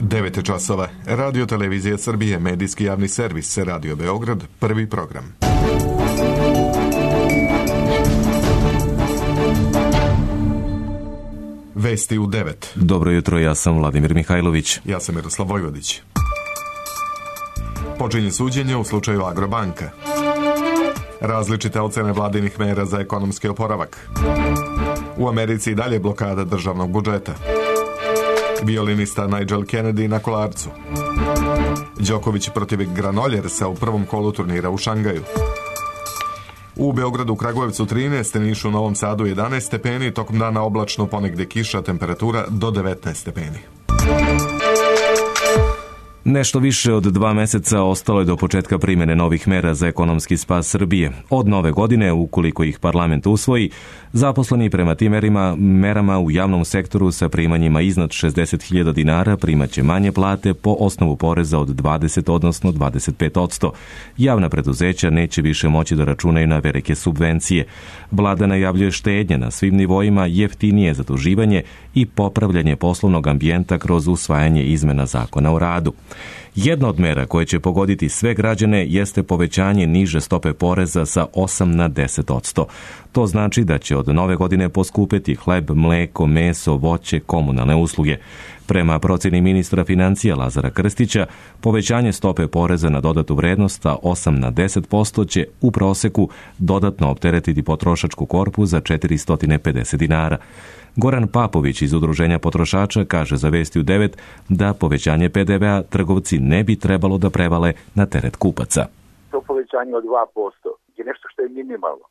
9 časova. Radio Televizija Srbije, medijski javni servis, Radio Beograd, prvi program. Vesti u 9. Dobro jutro, ja sam Vladimir Mihajlović. Ja sam Miroslav Vojvodić. Počinje suđenje u slučaju Agrobanka. Različite ocene vladinih mera za ekonomski oporavak. U Americi i dalje blokada državnog budžeta. Violinista Nigel Kennedy na Kolarcu. Đoković protiv Granoljersa u prvom kolu turnira u Šangaju. U Beogradu, Kragujevcu 13, Nišu, Novom Sadu 11 stepeni, tokom dana oblačno, ponegde kiša, temperatura do 19 stepeni. Nešto više od 2 meseca ostalo je do početka primjene novih mera za ekonomski spas Srbije. Od nove godine, ukoliko ih parlament usvoji, zaposleni prema tim merama u javnom sektoru sa primanjima iznad 60.000 dinara primaće manje plate po osnovu poreza od 20, odnosno 25%. Javna preduzeća neće više moći da računaju na velike subvencije. Vlada najavljuje štednje na svim nivoima, jeftinije zaduživanje i popravljanje poslovnog ambijenta kroz usvajanje izmena zakona o radu. Jedna od mera koje će pogoditi sve građane jeste povećanje niže stope poreza sa 8 na 10%. To znači da će od nove godine poskupeti hleb, mleko, meso, voće, komunalne usluge. Prema procjeni ministra financija Lazara Krstića, povećanje stope poreza na dodatu vrednost sa 8 na 10% će u proseku dodatno opteretiti potrošačku korpu za 450 dinara. Goran Papović iz Udruženja potrošača kaže za Vesti u 9 da povećanje PDV-a trgovci ne bi trebalo da prevale na teret kupaca. To povećanje od 2% je nešto što je minimalno.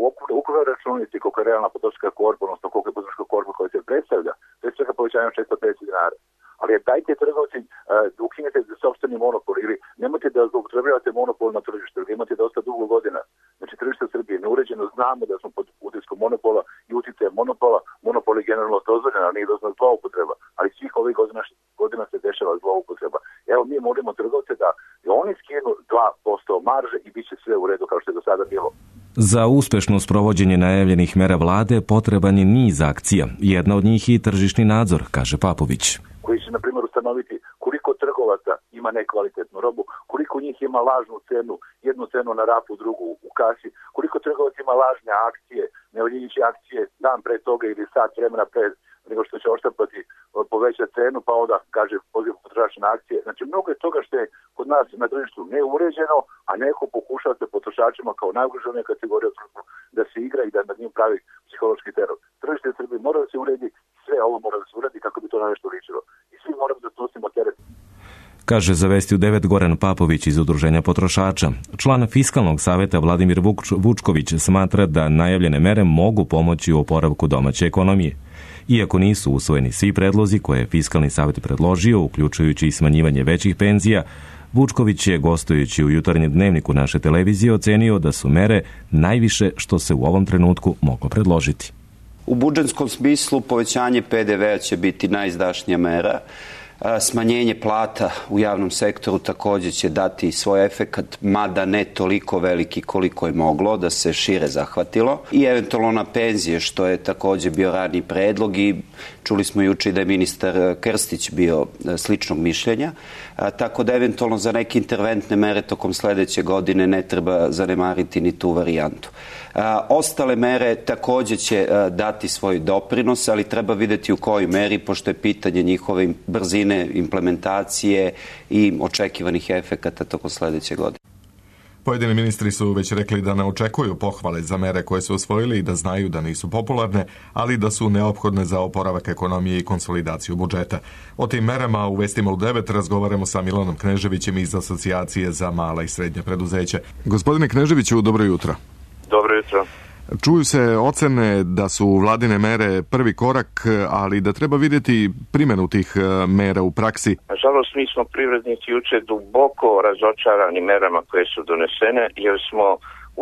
U ukupnoj računici koliko je realna potrošačka korpa, odnosno koliko je potrošačka korpa koja se predstavlja, to je svega povećanje od 650 dinara. Ali dajte trgovci da ukinete sopstveni monopol ili nemojte da zloupotrebljavate monopol na tržištu, jer imate dosta dugo godina. Znači tržište Srbije je neuređeno, znamo da smo pod utiskom monopola i uticajem monopola. Monopol je generalno dozvoljen, ali nije dozvoljena zloupotreba. Ali svih ovih godina se dešava zloupotreba. Evo mi molimo trgovce da oni skinu 2% marže i bit će sve u redu kao što je do sada bilo. Za uspešno sprovođenje najavljenih mera vlade potreban je niz akcija. Jedna od njih je tržišni nadzor, kaže Papović. Koji će, na primjer, ustanoviti koliko trgovaca ima nekvalitetnu robu, koliko njih ima lažnu cenu, jednu cenu na rafu, drugu u kasi, koliko trgovaca ima lažne akcije, nevaljujuće akcije dan pre toga ili sat vremena pre nego što će oštampati povećati cenu, pa onda kaže poziv potrošača na akcije. Znači mnogo je toga što je kod nas na tržištu neuređeno, a neko pokušava se potrošačima kao najugroženija kategorija da se igra i da nad njim pravi psihološki teror. Tržište u Srbiji mora da se uredi, sve ovo mora da se uredi kako bi to na nešto ličilo. I svi moramo da snosimo teret. Kaže za Vesti u 9 Goran Papović iz Udruženja potrošača. Član Fiskalnog saveta Vladimir Vučković smatra da najavljene mere mogu pomoći u oporavku domaće ekonomije. Iako nisu usvojeni svi predlozi koje je Fiskalni savet predložio, uključujući i smanjivanje većih penzija, Vučković je, gostujući u jutarnjem dnevniku naše televizije, ocenio da su mere najviše što se u ovom trenutku moglo predložiti. U budžetskom smislu povećanje PDV-a će biti najizdašnija mera. Smanjenje plata u javnom sektoru također će dati svoj efekat, mada ne toliko veliki koliko je moglo da se šire zahvatilo. I eventualno na penzije, što je također bio raniji predlog i čuli smo juče da je ministar Krstić bio sličnog mišljenja. Tako da eventualno za neke interventne mere tokom sledeće godine ne treba zanemariti ni tu varijantu. Ostale mere također će dati svoj doprinos, ali treba vidjeti u kojoj meri, pošto je pitanje njihove brzine implementacije i očekivanih efekata tokom sledeće godine. Pojedini ministri su već rekli da ne očekuju pohvale za mere koje su osvojili i da znaju da nisu popularne, ali da su neophodne za oporavak ekonomije i konsolidaciju budžeta. O tim merama u Vestima u 9 razgovaramo sa Milanom Kneževićem iz Asocijacije za mala i srednja preduzeća. Gospodine Kneževiću, dobro jutro. Dobro jutro. Čuju se ocene da su vladine mere prvi korak, ali da treba vidjeti primjenu tih mera u praksi. Nažalost, mi smo privrednici juče duboko razočarani merama koje su donesene, jer smo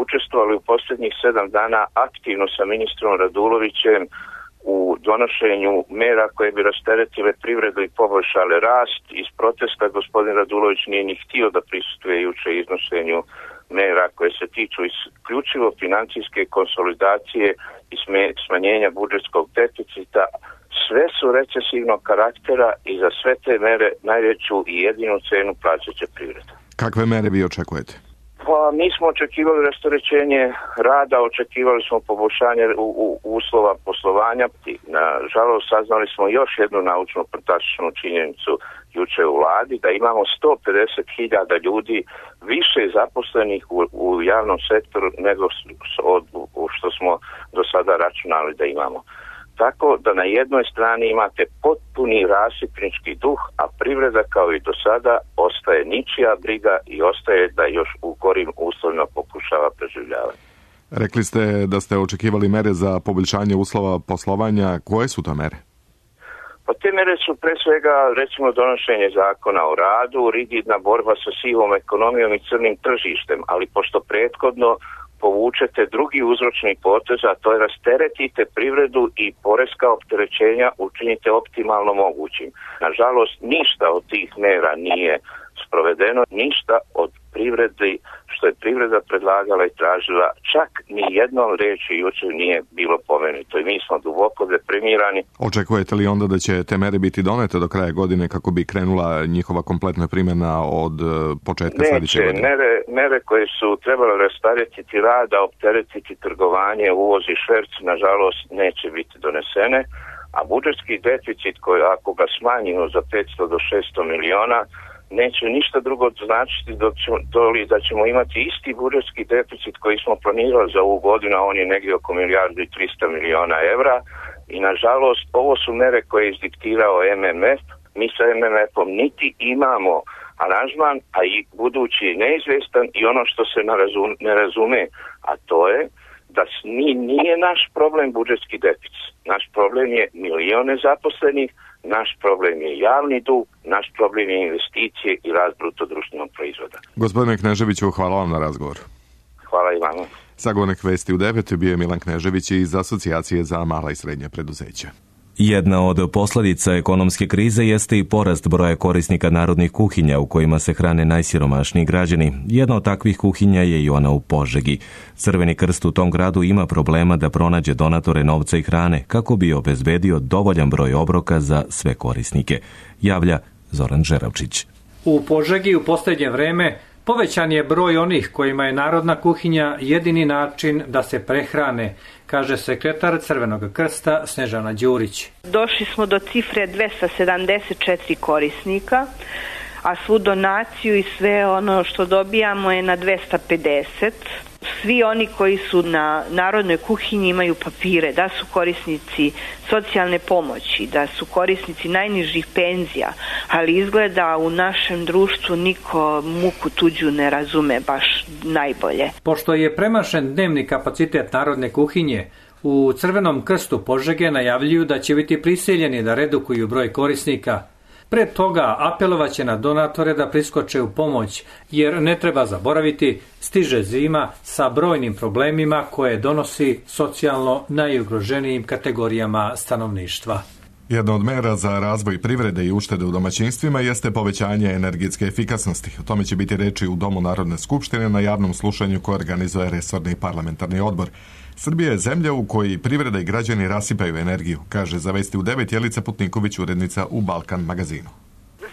učestvovali u posljednjih 7 dana aktivno sa ministrom Radulovićem u donošenju mera koje bi rasteretile privredu i poboljšale rast. Iz protesta gospodin Radulović nije ni htio da prisustvuje juče iznošenju mera koje se tiču isključivo financijske konsolidacije i smanjenja budžetskog deficita sve su recesivnog karaktera i za sve te mere najveću i jedinu cenu plaćat će privreda. Kakve mere vi očekujete? Pa mi smo očekivali rasterećenje rada, očekivali smo poboljšanje uslova poslovanja. Nažalost, saznali smo još jednu naučno fantastičnu činjenicu juče u vladi, da imamo 150.000 ljudi više zaposlenih u javnom sektoru nego što smo do sada računali da imamo. Tako da na jednoj strani imate potpuni rasipnički duh, a privreda kao i do sada ostaje ničija briga i ostaje da još u gorim uslovima pokušava preživljavati. Rekli ste da ste očekivali mere za poboljšanje uslova poslovanja. Koje su to mere? Pa te mere su pre svega, recimo, donošenje zakona o radu, rigidna borba sa sivom ekonomijom i crnim tržištem, ali pošto prethodno povučete drugi uzročni potez, a to je rasteretite privredu i poreska opterećenja učinite optimalno mogućim. Nažalost, ništa od tih mera nije sprovedeno, ništa od privredi što je privreda predlagala i tražila, čak ni jednom reči jučer nije bilo pomenuto i mi smo duboko deprimirani. Očekujete li onda da će te mere biti donete do kraja godine kako bi krenula njihova kompletna primjena od početka sljedeće godine? Mere koje su trebale rasteretiti rada, opteretiti trgovanje, uvoz i šverc, nažalost neće biti donesene, a budžetski deficit koji ako ga smanjimo za 500 do 600 miliona neće ništa drugo značiti da ćemo imati isti budžetski deficit koji smo planirali za ovu godinu, a on je negdje oko 1.300 miliona evra i nažalost ovo su mere koje je izdiktirao MMF. Mi sa MMF-om niti imamo aranžman, a i budući je neizvestan i ono što se ne razume, a to je da nije naš problem budžetski deficit. Naš problem je milione zaposlenih, naš problem je javni dug, naš problem je investicije i rast bruto društvenog proizvoda. Gospodine Kneževiću, hvala vam na razgovor. Hvala i vama. Sagovornik Vesti u 9 bio je Milan Knežević iz Asocijacije za mala i srednja preduzeća. Jedna od posljedica ekonomske krize jeste i porast broja korisnika narodnih kuhinja u kojima se hrane najsiromašniji građani. Jedna od takvih kuhinja je i ona u Požegi. Crveni krst u tom gradu ima problema da pronađe donatore novca i hrane kako bi obezbedio dovoljan broj obroka za sve korisnike. Javlja Zoran Žeravčić. U Požegi u posljednje vreme povećan je broj onih kojima je narodna kuhinja jedini način da se prehrane, kaže sekretar Crvenog krsta Snežana Đurić. Došli smo do cifre 274 korisnika, a svu donaciju i sve ono što dobijamo je na 250. Svi oni koji su na narodnoj kuhinji imaju papire, da su korisnici socijalne pomoći, da su korisnici najnižih penzija, ali izgleda u našem društvu niko muku tuđu ne razume baš najbolje. Pošto je premašen dnevni kapacitet narodne kuhinje, u Crvenom krstu Požege najavljuju da će biti prisiljeni da redukuju broj korisnika. Pred toga apelovaće na donatore da priskoče u pomoć, jer ne treba zaboraviti, stiže zima sa brojnim problemima koje donosi socijalno najugroženijim kategorijama stanovništva. Jedna od mera za razvoj privrede i uštede u domaćinstvima jeste povećanje energetske efikasnosti. O tome će biti reči u Domu Narodne skupštine na javnom slušanju koje organizuje resorni parlamentarni odbor. Srbija je zemlja u kojoj privreda i građani rasipaju energiju, kaže za Vesti u 9 Jelica Putniković, urednica u Balkan magazinu.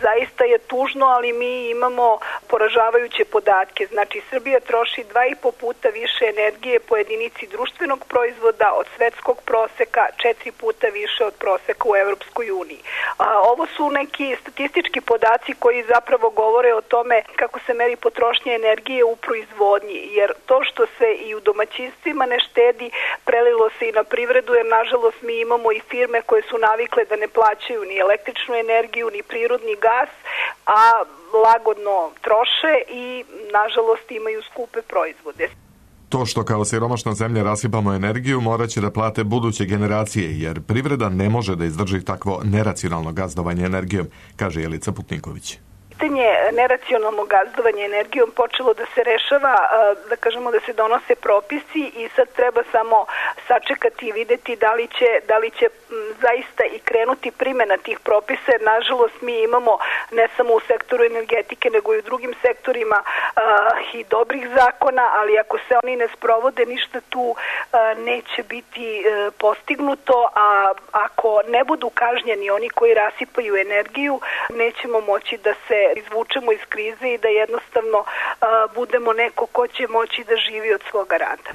Zaista je tužno, ali mi imamo poražavajuće podatke. Znači, Srbija troši 2,5 puta više energije po jedinici društvenog proizvoda od svetskog proseka, 4 puta više od proseka u Evropskoj uniji. Ovo su neki statistički podaci koji zapravo govore o tome kako se meri potrošnja energije u proizvodnji, jer to što se i u domaćinstvima ne štedi, prelilo se i na privredu, jer nažalost mi imamo i firme koje su navikle da ne plaćaju ni električnu energiju, ni prirodni gas, a lagodno troše i nažalost imaju skupe proizvode. To što kao siromašna zemlja rasipamo energiju morat će da plate buduće generacije, jer privreda ne može da izdrži takvo neracionalno gazdovanje energijom, kaže Jelica Putniković. pitanje neracionalnog gazdovanja energijom počelo da se rešava, da kažemo da se donose propisi i sad treba samo sačekati i videti da li će zaista i krenuti primjena tih propisa, jer nažalost mi imamo ne samo u sektoru energetike nego i u drugim sektorima i dobrih zakona, ali ako se oni ne sprovode ništa tu neće biti postignuto, a ako ne budu kažnjeni oni koji rasipaju energiju, nećemo moći da se izvučemo iz krize i da jednostavno budemo neko ko će moći da živi od svoga rada.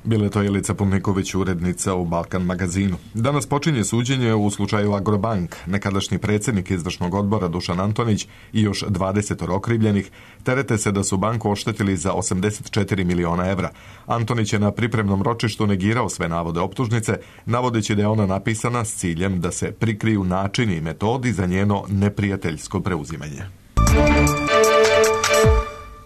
Bila je to Jelica Pumniković, urednica u Balkan magazinu. Danas počinje suđenje u slučaju Agrobank. Nekadašnji predsjednik izvršnog odbora Dušan Antonić i još 20 okrivljenih terete se da su banku oštetili za 84 miliona evra. Antonić je na pripremnom ročištu negirao sve navode optužnice, navodeći da je ona napisana s ciljem da se prikriju načini i metodi za njeno neprijateljsko preuzimanje.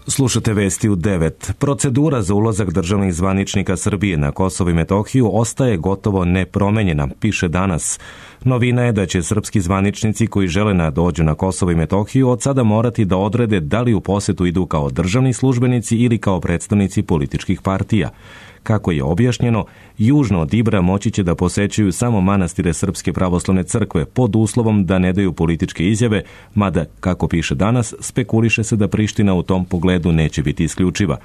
Slušate vesti u 9. Procedura za ulazak državnih zvaničnika Srbije na Kosovo i Metohiju ostaje gotovo nepromenjena, piše Danas. Novina je da će srpski zvaničnici koji žele dođu na Kosovo i Metohiju od sada morati da odrede da li u posetu idu kao državni službenici ili kao predstavnici političkih partija. Kako je objašnjeno, južno od Ibra moći će da posećuju samo manastire Srpske pravoslavne crkve pod uslovom da ne daju političke izjave, mada, kako piše Danas, spekuliše se da Priština u tom pogledu neće biti isključiva.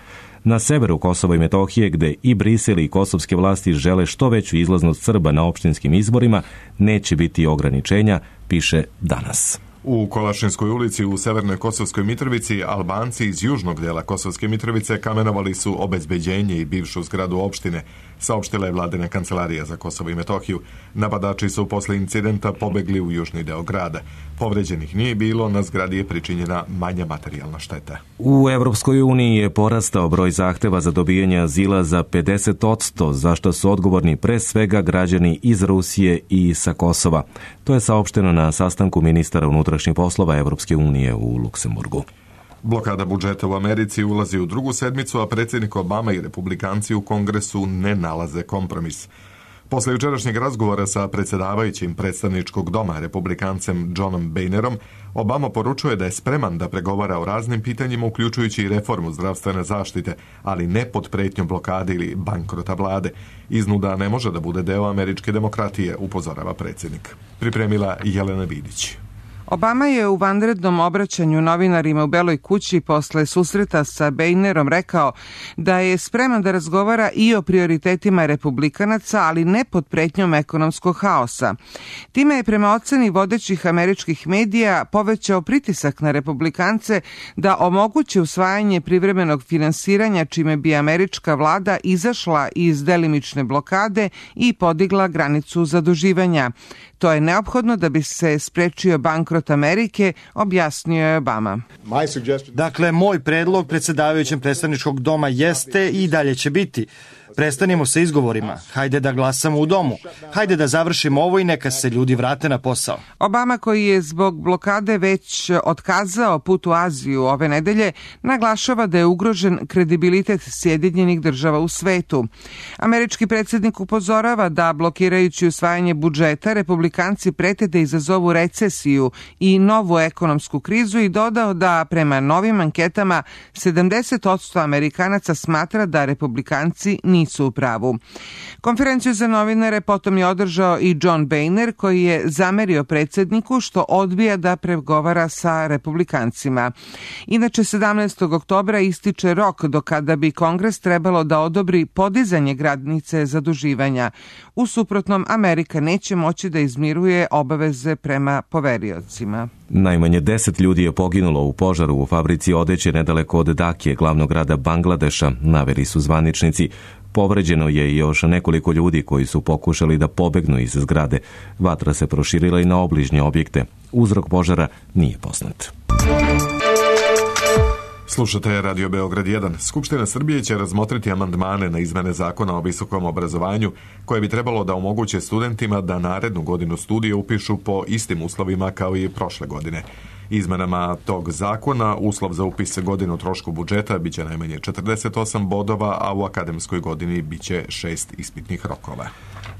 Na severu Kosova i Metohije, gde i Brisel i kosovske vlasti žele što veću izlaznost Srba na opštinskim izborima, neće biti ograničenja, piše Danas. U Kolašinskoj ulici u Severnoj Kosovskoj Mitrovici Albanci iz južnog dela Kosovske Mitrovice kamenovali su obezbeđenje i bivšu zgradu opštine, saopštila je vladina kancelarija za Kosovo i Metohiju. Napadači su posle incidenta pobegli u južni deo grada. Povređenih nije bilo, na zgradi je pričinjena manja materijalna šteta. U Evropskoj uniji je porastao broj zahteva za dobijanje azila za 50%, za što su odgovorni pre svega građani iz Rusije i sa Kosova. To je saopšteno na sastanku ministara unutrašnjih poslova Evropske unije u Luksemburgu. Blokada budžeta u Americi ulazi u drugu sedmicu, a predsjednik Obama i republikanci u Kongresu ne nalaze kompromis. Posle jučerašnjeg razgovora sa predsjedavajućim predstavničkog doma republikancem Johnom Boehnerom, Obama poručuje da je spreman da pregovara o raznim pitanjima, uključujući i reformu zdravstvene zaštite, ali ne pod pretnjom blokade ili bankrota vlade. Iznuda ne može da bude deo američke demokratije, upozorava predsjednik. Pripremila Jelena Vidić. Obama je u vanrednom obraćanju novinarima u Beloj kući posle susreta sa Boehnerom rekao da je spreman da razgovara i o prioritetima republikanaca, ali ne pod pretnjom ekonomskog haosa. Time je prema oceni vodećih američkih medija povećao pritisak na republikance da omoguće usvajanje privremenog finansiranja, čime bi američka vlada izašla iz delimične blokade i podigla granicu zaduživanja. To je neophodno da bi se sprečio bankrot Amerike, objasnio je Obama. Dakle, moj predlog predsjedavajućem predstavničkog doma jeste i dalje će biti: prestanimo sa izgovorima, hajde da glasamo u domu, hajde da završimo ovo i neka se ljudi vrate na posao. Obama, koji je zbog blokade već otkazao put u Aziju ove nedelje, naglašava da je ugrožen kredibilitet Sjedinjenih država u svetu. Američki predsjednik upozorava da blokirajući usvajanje budžeta, republikanci prete da izazovu recesiju i novu ekonomsku krizu i dodao da prema novim anketama 70% Amerikanaca smatra da republikanci nisu u pravu. Konferenciju za novinare potom je održao i John Boehner, koji je zamerio predsjedniku što odbija da pregovara sa republikancima. Inače, 17. oktobra ističe rok do kada bi Kongres trebalo da odobri podizanje granice zaduživanja. U suprotnom, Amerika neće moći da izmiruje obaveze prema poveriocima. Najmanje 10 ljudi je poginulo u požaru u fabrici odeće nedaleko od Dakije, glavnog grada Bangladeša, naveli su zvaničnici. Povređeno je još nekoliko ljudi koji su pokušali da pobegnu iz zgrade. Vatra se proširila i na obližnje objekte. Uzrok požara nije poznat. Slušate Radio Beograd 1. Skupština Srbije će razmotriti amandmane na izmene zakona o visokom obrazovanju koje bi trebalo da omoguće studentima da narednu godinu studija upišu po istim uslovima kao i prošle godine. Izmenama tog zakona uslov za upis godinu trošku budžeta biće najmanje 48 bodova, a u akademskoj godini biće 6 ispitnih rokova.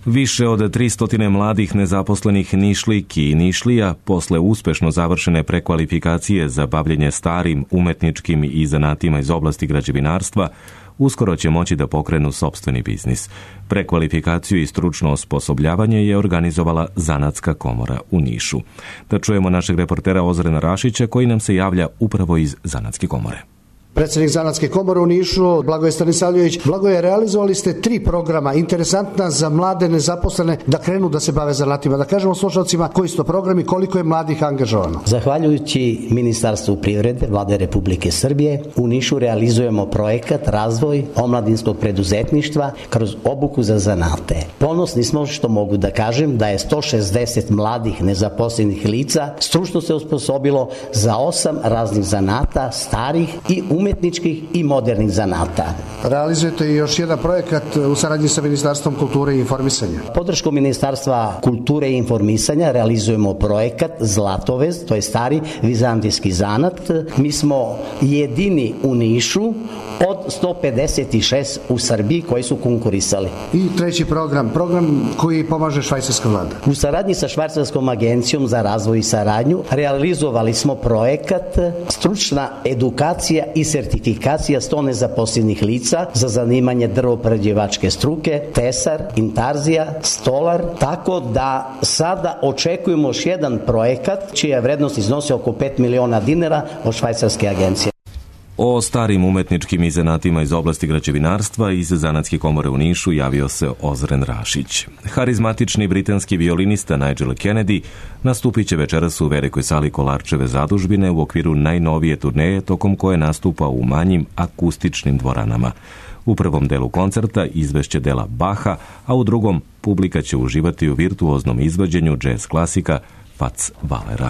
Više od 300 mladih nezaposlenih Nišlijki i Nišlija posle uspešno završene prekvalifikacije za bavljenje starim, umetničkim i zanatima iz oblasti građevinarstva uskoro će moći da pokrenu sopstveni biznis. Prekvalifikaciju i stručno osposobljavanje je organizovala Zanatska komora u Nišu. Da čujemo našeg reportera Ozrena Rašića koji nam se javlja upravo iz Zanatske komore. Predsjednik Zanatske komore u Nišu, Blagoje Stanisavljević. Blagoje, realizovali ste 3 programa, interesantna za mlade nezaposlene da krenu da se bave zanatima. Da kažemo slušalcima koji su to programi, koliko je mladih angažovano. Zahvaljujući Ministarstvu privrede, Vlade Republike Srbije, u Nišu realizujemo projekat razvoj omladinskog preduzetništva kroz obuku za zanate. Ponosni smo što mogu da kažem da je 160 mladih nezaposlenih lica stručno se osposobilo za 8 raznih zanata, starih i umetničkih i modernih zanata. Realizujete i još jedan projekat u saradnji sa Ministarstvom kulture i informisanja. Podrškom Ministarstva kulture i informisanja realizujemo projekat Zlatovez, to je stari vizantijski zanat. Mi smo jedini u Nišu od 156 u Srbiji koji su konkurisali. I treći program koji pomaže švajcarska vlada. U saradnji sa Švajcarskom agencijom za razvoj i saradnju realizovali smo projekat stručna edukacija i sertifikacija 100 nezaposlenih lica za zanimanje drvoprerađivačke struke, tesar, intarzija, stolar, tako da sada očekujemo još jedan projekat čija vrednost iznosi oko 5 miliona dinara od švajcarske agencije. O starim umetničkim i zanatima iz oblasti građevinarstva iz Zanatske komore u Nišu javio se Ozren Rašić. Harizmatični britanski violinista Nigel Kennedy nastupit će večeras u velikoj sali Kolarčeve zadužbine u okviru najnovije turneje tokom koje nastupa u manjim akustičnim dvoranama. U prvom delu koncerta izvešće dela Baha, a u drugom publika će uživati u virtuoznom izvođenju džez klasika Fats Wahlera.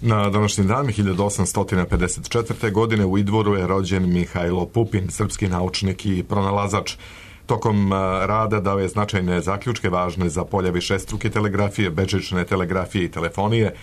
Na današnji dan 1854. godine u Idvoru je rođen Mihajlo Pupin, srpski naučnik i pronalazač. Tokom rada dao je značajne zaključke važne za polja višestruke telegrafije, bežične telegrafije i telefonije,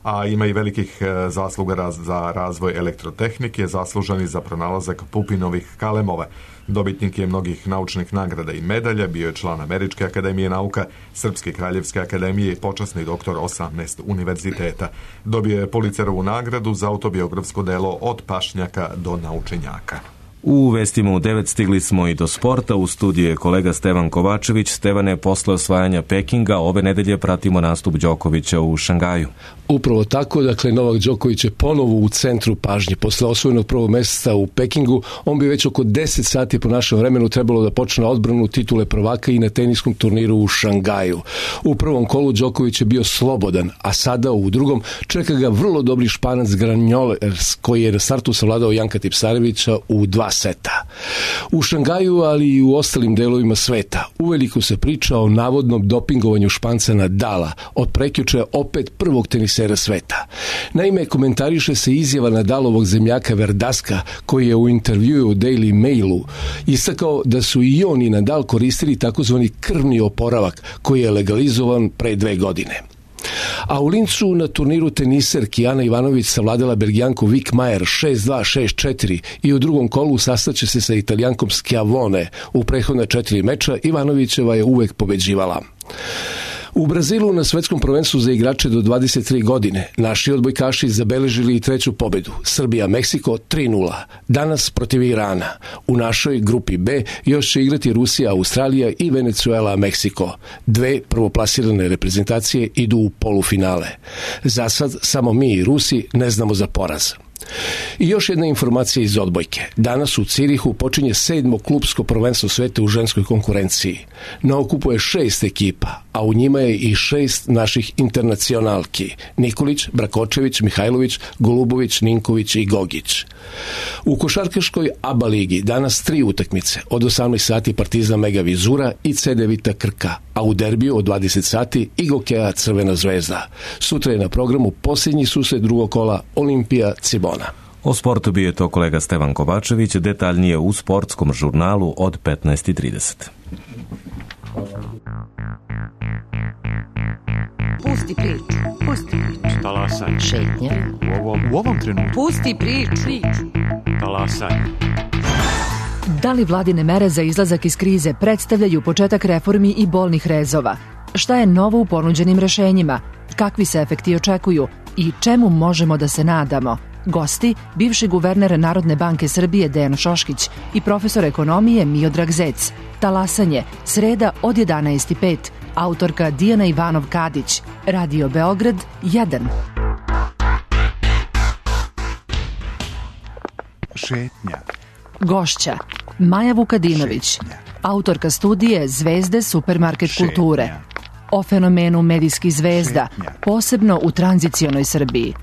a ima i velikih zasluga za razvoj elektrotehnike, zaslužan i za pronalazak Pupinovih kalemova. Dobitnik je mnogih naučnih nagrada i medalja, bio je član Američke akademije nauka, Srpske kraljevske akademije i počasni doktor 18 univerziteta. Dobio je Pulitzerovu nagradu za autobiografsko delo Od pašnjaka do naučenjaka. U vestima u 9 stigli smo i do sporta. U studiju je kolega Stevan Kovačević. Stevane, posle osvajanja Pekinga ove nedelje pratimo nastup Đokovića u Šangaju. Upravo tako, dakle Novak Đoković je ponovo u centru pažnje. Posle osvojenog prvog mesta u Pekingu, on bi već oko 10 sati po našem vremenu trebalo da počne odbranu titule prvaka i na teniskom turniru u Šangaju. U prvom kolu Đoković je bio slobodan, a sada u drugom čeka ga vrlo dobri Španac Granjoles, koji je na startu savladao Janka Tipsarevića u 2 seta. U Šangaju, ali i u ostalim delovima sveta, uveliko se priča o navodnom dopingovanju Španca Nadala, od prekjuče opet prvog tenisera sveta. Naime, komentariše se izjava Nadalovog zemljaka Verdaska, koji je u intervjuu u Daily Mailu istakao da su i on i Nadal koristili takozvani krvni oporavak, koji je legalizovan pre 2 godine. A u Lincu na turniru teniserki Ana Ivanović savladala Belgijanku Vik Majer 6-2, 6-4 i u drugom kolu sastaće se sa Italijankom Schiavone. U prethodna 4 meča Ivanovićeva je uvek pobeđivala. U Brazilu na svetskom prvenstvu za igrače do 23 godine naši odbojkaši zabeležili i 3. pobedu. Srbija-Meksiko 3-0. Danas protiv Irana. U našoj grupi B još će igrati Rusija, Australija i Venezuela-Meksiko. 2 prvoplasirane reprezentacije idu u polufinale. Za sad samo mi i Rusi ne znamo za poraz. I još jedna informacija iz odbojke. Danas u Cirihu počinje 7. klubsko prvenstvo sveta u ženskoj konkurenciji. Na okupu je 6 ekipa, a u njima je i 6 naših internacionalki. Nikolić, Brakočević, Mihajlović, Golubović, Ninković i Gogić. U košarkaškoj ABA ligi danas 3 utakmice. Od 18 sati Partizan Mega Vizura i CD Vita Krka, a u derbiju od 20 sati Igokea Crvena zvezda. Sutra je na programu posljednji susret drugog kola Olimpija Cibona. O sportu bio je to kolega Stevan Kovačević, detaljnije u sportskom žurnalu od 15:30. Pusti priču. Talasaj. Šetnja. U ovom trenutku. Pusti priču. Talasaj. Da li vladine mere za izlazak iz krize predstavljaju početak reformi i bolnih rezova? Šta je novo u ponuđenim rešenjima? Kakvi se efekti očekuju? I čemu možemo da se nadamo? Gosti, bivši guverner Narodne banke Srbije Dejan Šoškić i profesor ekonomije Miodrag Zec. Talasanje, sreda od 11:05. Autorka Dijana Ivanov-Kadić. Radio Beograd 1. Šetnja. Gošća Maja Vukadinović, autorka studije Zvezde supermarket kulture. O fenomenu medijskih zvezda, posebno u tranzicionoj Srbiji.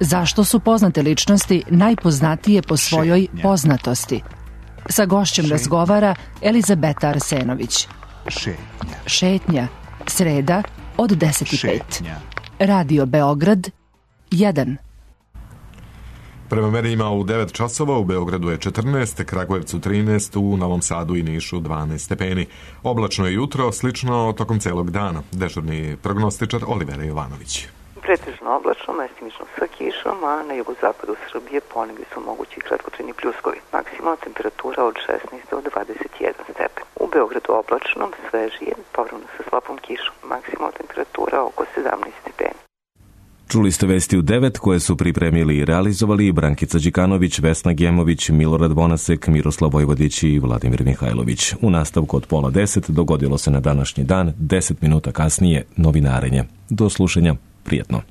Zašto su poznate ličnosti najpoznatije po svojoj poznatosti? Sa gošćem razgovara Elizabeta Arsenović. Šetnja, sreda od 10:05. Radio Beograd 1. Prema merenjima u 9 časova u Beogradu je 14, Kragujevcu 13, u Novom Sadu i Nišu 12 stepeni. Oblačno je jutro, slično tokom celog dana. Dežurni prognostičar Olivera Jovanović. Pretežno oblačno, mestimično sa kišom, a na jugozapadu Srbije ponegdje su mogući kratkotrajni pljuskovi. Maksimalna temperatura od 16 do 21 stepen. U Beogradu oblačno, svežije, povremeno sa slabom kišom. Maksimalna temperatura oko 17 stepeni. Čuli ste vesti u 9 koje su pripremili i realizovali Brankica Đikanović, Vesna Gemović, Milorad Bonasek, Miroslav Vojvodić i Vladimir Mihajlović. U nastavku od 9:30 dogodilo se na današnji dan, 10 minuta kasnije, novinarenje. Do slušanja, prijetno.